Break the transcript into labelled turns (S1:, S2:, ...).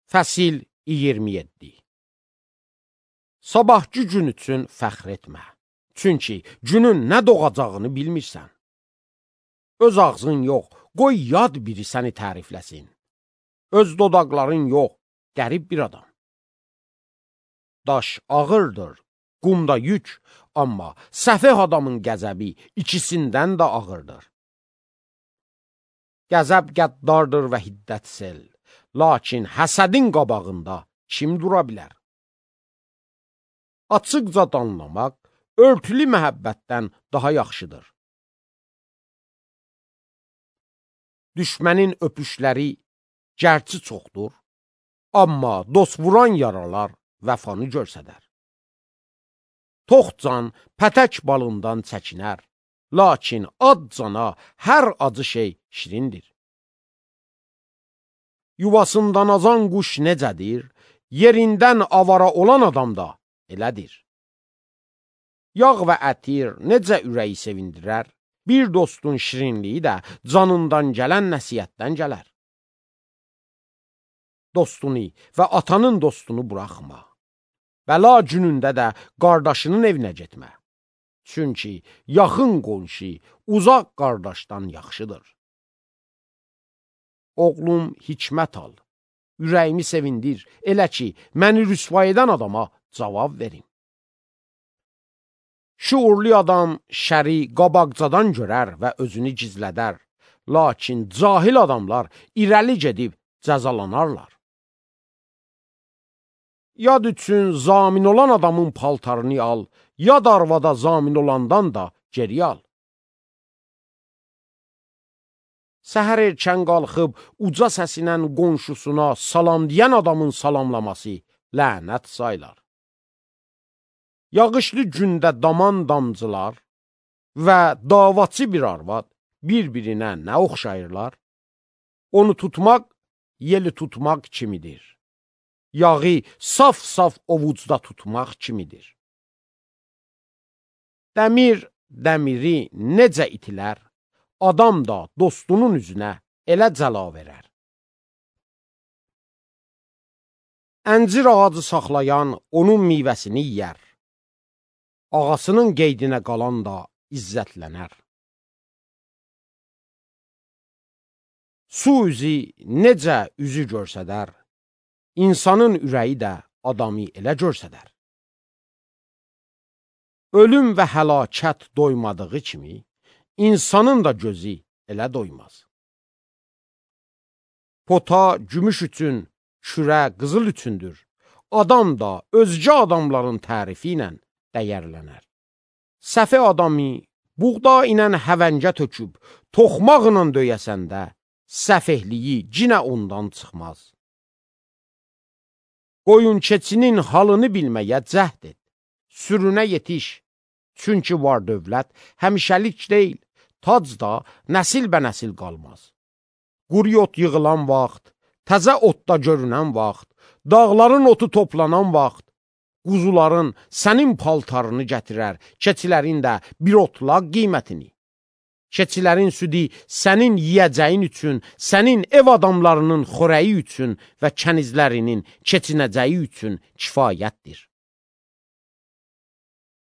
S1: Fəsil 27. Sabahki gün üçün fəxr etmə. Çünki günün nə doğacağını bilmirsən. Öz ağzın yox, qoy yad biri səni tərifləsin. Öz dodaqların yox, qərib bir adam. Daş ağırdır, qumda yük, amma səfeh adamın qəzəbi ikisindən də ağırdır. Qəzəb qəddardır və hiddət sel. Lakin həsədin qabağında kim dura bilər? Açıqca danlamaq, örtülü məhəbbətdən daha yaxşıdır. Düşmənin öpüşləri gərçi çoxdur, amma dost vuran yaralar vəfanı görsədər. Tox can pətək balından çəkinər, lakin ad cana hər acı şey şirindir. Yuvasından azan quş necədir, yerindən avara olan adam da elədir. Yağ və ətir necə ürəyi sevindirər, bir dostun şirinliyi də canından gələn nəsiyyətdən gələr. Dostunu və atanın dostunu buraxma. Bəla günündə də qardaşının evinə getmə. Çünki yaxın qonşu uzaq qardaşdan yaxşıdır. Oğlum, hikmət al, ürəyimi sevindir, elə ki, məni rüsva edən adama cavab verim. Şuurlu adam şəri qabaqcadan görər və özünü gizlədər, lakin cahil adamlar irəli gedib cəzalanarlar. Yad üçün zamin olan adamın paltarını al, yad arvada zamin olandan da geri al. Səhər erkən qalxıb, uca səsinən qonşusuna salam deyən adamın salamlaması lənət saylar. Yağışlı gündə daman damcılar və davaçı bir arvad bir-birinə nə oxşayırlar? Onu tutmaq, yeli tutmaq kimidir. Yağı saf-saf ovucda tutmaq kimidir. Dəmir, dəmiri necə itilər? Adam da dostunun üzünə elə cəla verər. Əncir ağacı saxlayan onun meyvəsini yiyər. Ağasının qeydinə qalan da izzətlənər. Su üzü necə üzü görsədər, insanın ürəyi də adamı elə görsədər. Ölüm və həlakət doymadığı kimi, İnsanın da gözü elə doymaz. Pota gümüş üçün, kürə qızıl üçündür. Adam da özgə adamların tərifi ilə dəyərlənər. Səfə adamı buğda ilə həvəngə töküb, toxmaqla döyəsəndə, səfehliyi cinə ondan çıxmaz. Qoyun keçinin halını bilməyə cəhd et, sürünə yetiş. Çünki var dövlət həmişəlik deyil, tac da nəsil bə nəsil qalmaz. Quru ot yığılan vaxt, təzə otda görünən vaxt, dağların otu toplanan vaxt, quzuların sənin paltarını gətirər, keçilərin də bir otlaq qiymətini. Keçilərin südü sənin yiyəcəyin üçün, sənin ev adamlarının xörəyi üçün və kənizlərinin keçinəcəyi üçün kifayətdir.